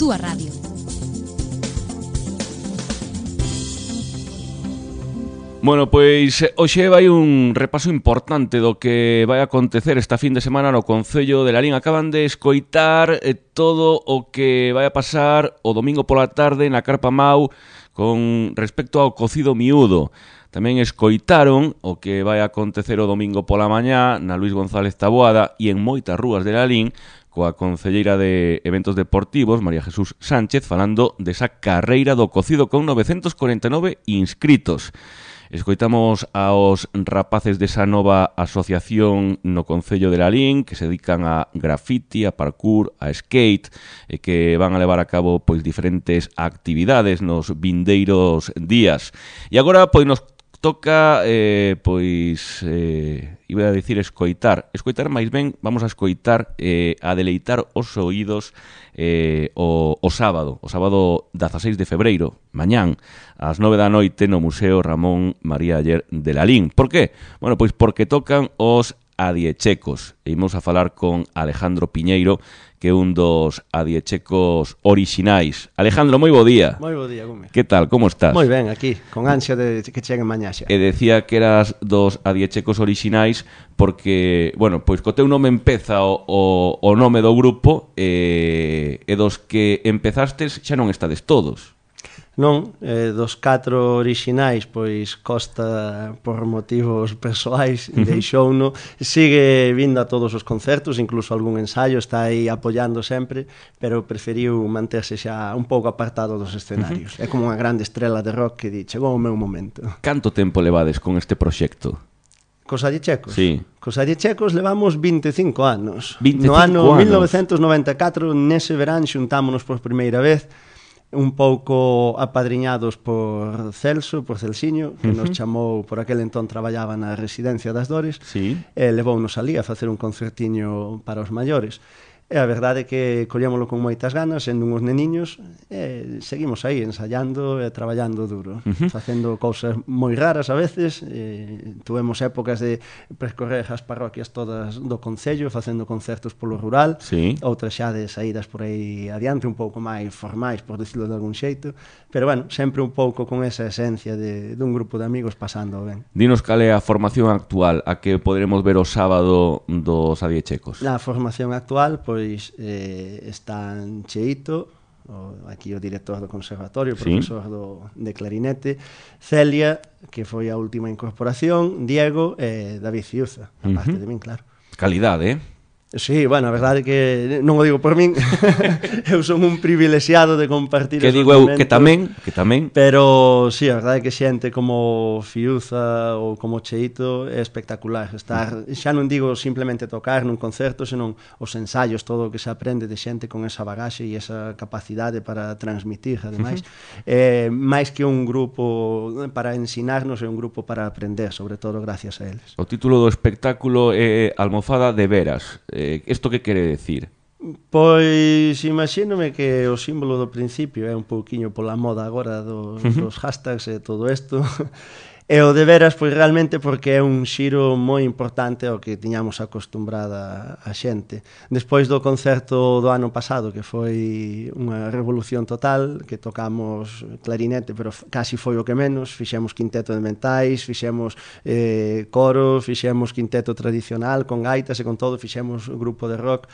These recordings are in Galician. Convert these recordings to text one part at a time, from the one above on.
túa radio. Bueno, pois hoxe vai un repaso importante do que vai acontecer esta fin de semana no Concello de Lalín. Acaban de escoitar todo o que vai a pasar o domingo pola tarde na Carpa Mau con respecto ao cocido miúdo. Tamén escoitaron o que vai a acontecer o domingo pola mañá na Luis González Taboada e en moitas rúas de Lalín coa concelleira de Eventos Deportivos, María Jesús Sánchez, falando desa carreira do cocido con 949 inscritos. Escoitamos aos rapaces desa nova asociación no Concello de Lalín que se dedican a graffiti, a parkour, a skate e que van a levar a cabo pois diferentes actividades nos vindeiros días. E agora pois nos toca iba a dicir escoitar máis ben, vamos a escoitar a deleitar os oídos o sábado 16 de febreiro, mañán ás 9 da noite no Museo Ramón María Aller de Lalín. Por qué? Bueno, pois porque tocan os adiechecos. E imos a falar con Alejandro Piñeiro, que é un dos adiechecos orixinais. Alejandro, moi bo día. Moi bo día, Gómez. Que tal, como estás? Moi ben, aquí, con ansia de que cheguen mañá xa. E decía que eras dos adiechecos orixinais porque, bueno, pois co teu nome empeza o nome do grupo e dos que empezastes xa non estades todos. Non, dos 4 orixinais, pois Costa, por motivos persoais, deixouno, sigue vindo a todos os concertos, incluso algún ensaio, está aí apoiando sempre, pero preferiu manterse xa un pouco apartado dos escenarios. É como unha grande estrela de rock que di, chegou o meu momento. Canto tempo levades con este proxecto? Cos adiechecos? Sí. Cos adiechecos levamos 25 anos. 25 no ano anos. 1994, nese verán, xuntámonos por primeira vez, un pouco apadriñados por Celso, por Celsiño, que nos chamou, por aquel entón traballaba na Residencia das Dores, Sí. e levounos alí a facer un concertiño para os maiores. E a verdade é que collémolo con moitas ganas, sendo uns neniños, e seguimos aí ensayando e traballando duro, facendo cousas moi raras a veces, tuvemos épocas de percorrer as parroquias todas do Concello, facendo concertos polo rural, Sí. outras xa de saídas por aí adiante, un pouco máis formais, por decirlo de algún xeito, pero bueno, sempre un pouco con esa esencia dun grupo de amigos pasando ben. Dinos cal é a formación actual a que poderemos ver o sábado dos adiechecos. Na formación actual, pois están Cheito, aquí o director do conservatorio, o profesor de clarinete, Celia, que foi a última incorporación, Diego e David Fiuza, a parte de min, claro. Calidade, Sí, bueno, a verdade é que non o digo por min, eu son un privilexiado de compartir Que esos digo eu momentos, que tamén. pero sí, a verdade é que xente como Fiuza ou como Cheito é espectacular estar, xa non digo simplemente tocar nun concerto, senón os ensaios, todo o que se aprende de xente con esa bagaxe e esa capacidade para transmitir, ademais, máis que un grupo para ensinarnos, é un grupo para aprender, sobre todo gracias a eles. O título do espectáculo é Almofada de Veras. Isto que quere decir? Pois imagínome que o símbolo do principio é un pouquiño pola moda agora dos hashtags e todo isto. E o de veras, pois realmente porque é un xiro moi importante ao que tiñamos acostumbrada a xente. Despois do concerto do ano pasado, que foi unha revolución total, que tocamos clarinete, pero casi foi o que menos, fixemos quinteto de mentais, fixemos coro, fixemos quinteto tradicional, con gaitas e con todo, fixemos grupo de rock.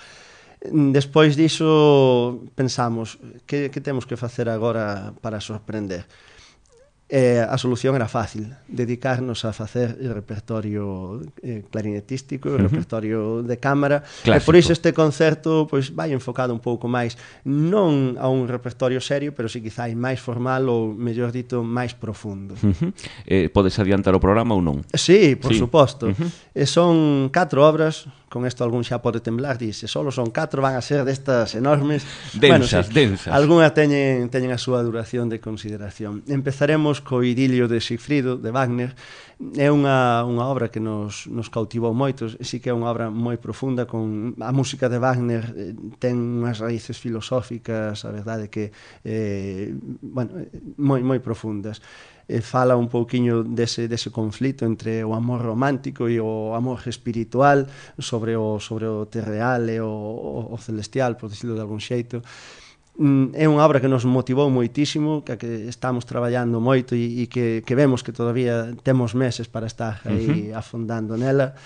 Despois diso pensamos, que temos que facer agora para sorprender? A solución era fácil, dedicarnos a facer repertorio clarinetístico, repertorio de cámara. Clásico. E por iso este concerto pois vai enfocado un pouco máis non a un repertorio serio, pero si quizá máis formal ou, mellor dito, máis profundo. Podes adiantar o programa ou non? Sí, por Sí. suposto. Son 4 obras, con isto algún xa pode temblar, dice, solo son 4, van a ser destas enormes. Densas, sí, densas. Algúnas teñen a súa duración de consideración. Empezaremos co idilio de Sigfrido, de Wagner. É unha obra que nos cautivou moito, sí que é unha obra moi profunda, con a música de Wagner ten unhas raíces filosóficas, a verdade que moi profundas. Fala un pouquiño dese conflito entre o amor romántico e o amor espiritual, sobre o terreal e o celestial, por decirlo de algún xeito. é unha obra que nos motivou moitísimo, que estamos traballando moito e que vemos que todavía temos meses para estar aí afondando nela.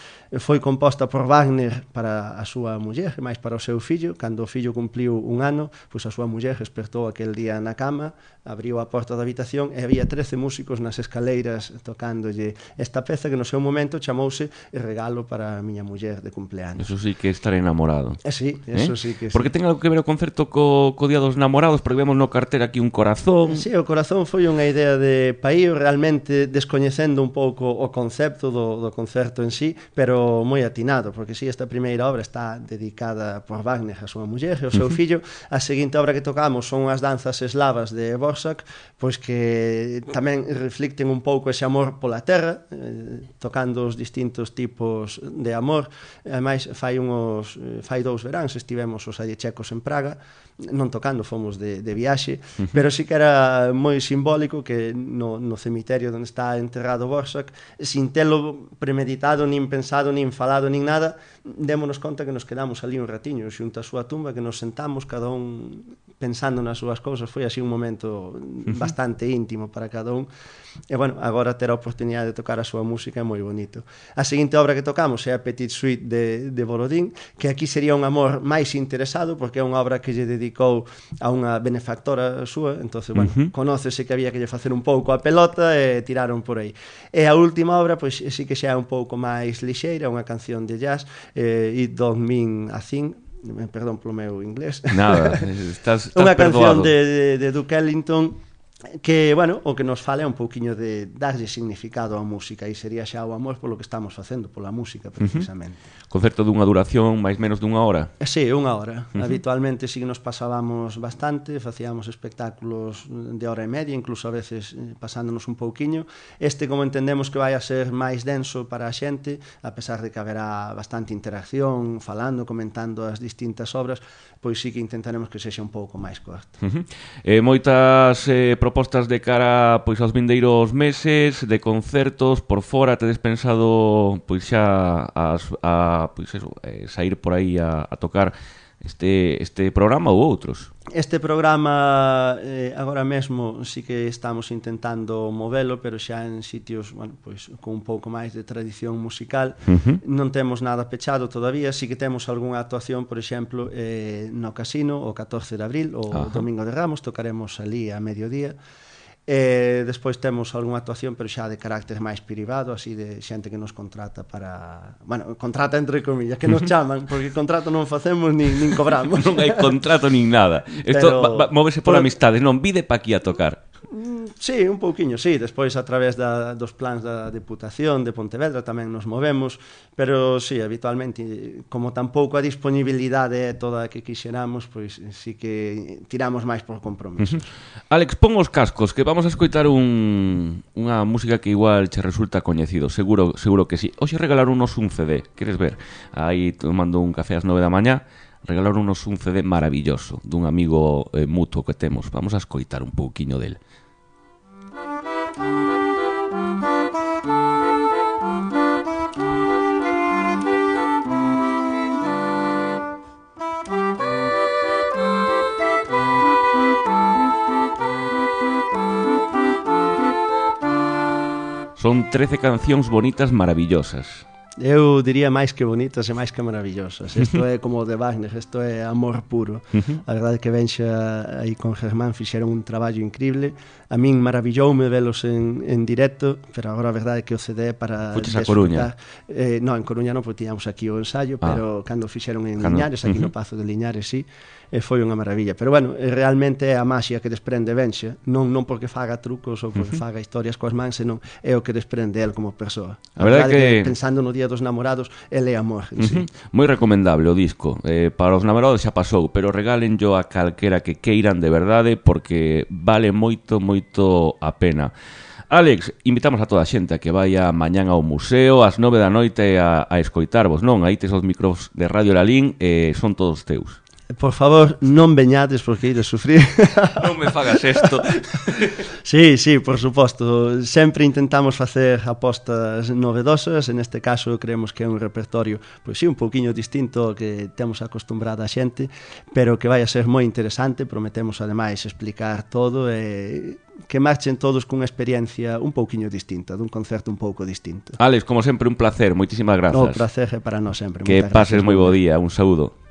Foi composta por Wagner para a súa muller e máis para o seu fillo. Cando o fillo cumpliu 1 ano, pois a súa muller despertou aquel día na cama, abriu a porta da habitación e había 13 músicos nas escaleiras tocándolle esta peza que no seu momento chamouse Regalo para a miña muller de cumpleaños. Eso sí que é estar enamorado. Sí, eso sí que sí. Porque ten algo que ver o concerto co Día dos Namorados, porque vemos no cartel aquí un corazón. Sí, o corazón foi unha idea de Paío, realmente descoñecendo un pouco o concepto do concerto en sí, pero moi atinado, porque si esta primeira obra está dedicada por Wagner a súa muller e ao seu fillo. A seguinte obra que tocamos son as danzas eslavas de Borsak, pois que tamén reflicten un pouco ese amor pola terra, tocando os distintos tipos de amor. Ademais, fai 2 veráns estivemos os allechecos en Praga, non tocando, fomos de viaxe, pero sí que era moi simbólico que no cemiterio onde está enterrado Borsak, sin telo premeditado, nin pensado, nin falado, nin nada, démonos conta que nos quedamos ali un ratiño xunto a súa tumba, que nos sentamos cada un pensando nas súas cousas. Foi así un momento bastante íntimo para cada un. E bueno, agora ter a oportunidade de tocar a súa música é moi bonito. A seguinte obra que tocamos é a Petite Suite de Borodín, que aquí sería un amor máis interesado, porque é unha obra que lle dedicou a unha benefactora súa. Entonces, bueno, conócese que había que lle facer un pouco a pelota e tiraron por aí. E a última obra, pois sí que xa é un pouco máis lixeira, unha canción de jazz, It Don't Mean a Thing, perdón polo meu inglés. Nada, estás unha perdoado. canción de Duke Ellington, que, bueno, o que nos fala é un pouquiño de darlle significado á música, e sería xa o amor polo que estamos facendo, pola música, precisamente. Concerto dunha duración máis menos dunha hora? Sí, 1 hora. Habitualmente sí que nos pasábamos bastante, facíamos espectáculos de hora e media, incluso a veces pasándonos un pouquiño. Este, como entendemos que vai a ser máis denso para a xente, a pesar de que haberá bastante interacción, falando, comentando as distintas obras, pois sí que intentaremos que sexa un pouco máis corto. Moitas propostas de cara pois aos vindeiros meses de concertos por fora. Tedes pensado pois xa pois eso, sair por aí a tocar este programa ou outros? Este programa agora mesmo sí que estamos intentando movelo, pero xa en sitios, bueno, pois con un pouco máis de tradición musical. Non temos nada pechado todavía, sí que temos algunha actuación, por exemplo, no Casino o 14 de abril, o Domingo de Ramos, tocaremos ali a mediodía. Despois temos algunha actuación, pero xa de carácter máis privado, así de xente que nos contrata para... Bueno, contrata entre comillas, que nos chaman, porque contrato non facemos nin cobramos. Non hai contrato nin nada. Isto móvese por amistades, non vide pa aquí a tocar. Sí, un pouquiño, sí. Despois, a través dos plans da Deputación de Pontevedra tamén nos movemos, pero sí, habitualmente, como tampouco a disponibilidade é toda a que quixeramos, pois sí que tiramos máis por compromiso. Alex, pon os cascos, que vamos a escoitar unha música que igual che resulta coñecido, seguro que sí. Hoxe regalaronos un CD, queres ver? Aí tomando un café ás 9 da mañá, regalaronos un CD maravilloso dun amigo mutuo que temos. Vamos a escoitar un pouquiño del. Son 13 cancións bonitas maravillosas. Eu diría máis que bonitas e máis que maravillosas. Isto é como o de Wagner, isto é amor puro. A verdade é que Benxa aí con Germán fixeron un traballo increíble. A min maravilloume velos en directo, pero agora a verdade é que o CD para Fuches a Coruña? Non, en Coruña non, porque tiñamos aquí o ensayo, pero cando fixeron en Liñares, aquí no Pazo de Liñares, sí, foi unha maravilla. Pero bueno, realmente é a maxia que desprende Benxa, non porque faga trucos ou porque faga historias coas mans, senón é o que desprende el como persoa. A verdade é que pensando no Día dos Namorados, ele é amor en sí. Moi recomendable o disco. Para os namorados xa pasou, pero regálenllo a calquera que queiran de verdade, porque vale moito a pena. Alex, invitamos a toda a xente a que vaya mañán ao museo ás 9 da noite a escoitarvos, non? Aí tes os micros de Radio Lalín, son todos teus. Por favor, non veñades porque ides sufrir. Non me fagas isto. Sí, por suposto. Sempre intentamos facer apostas novedosas. En este caso, creemos que é un repertorio, pois sí, un pouquiño distinto ao que temos acostumbrada a xente, pero que vai a ser moi interesante. Prometemos, ademais, explicar todo e que marchen todos cunha experiencia un pouquiño distinta, dun concerto un pouco distinto. Alex, como sempre, un placer. Moitísimas grazas. O placer é para nós sempre. Que pases moi bo día. Un saúdo.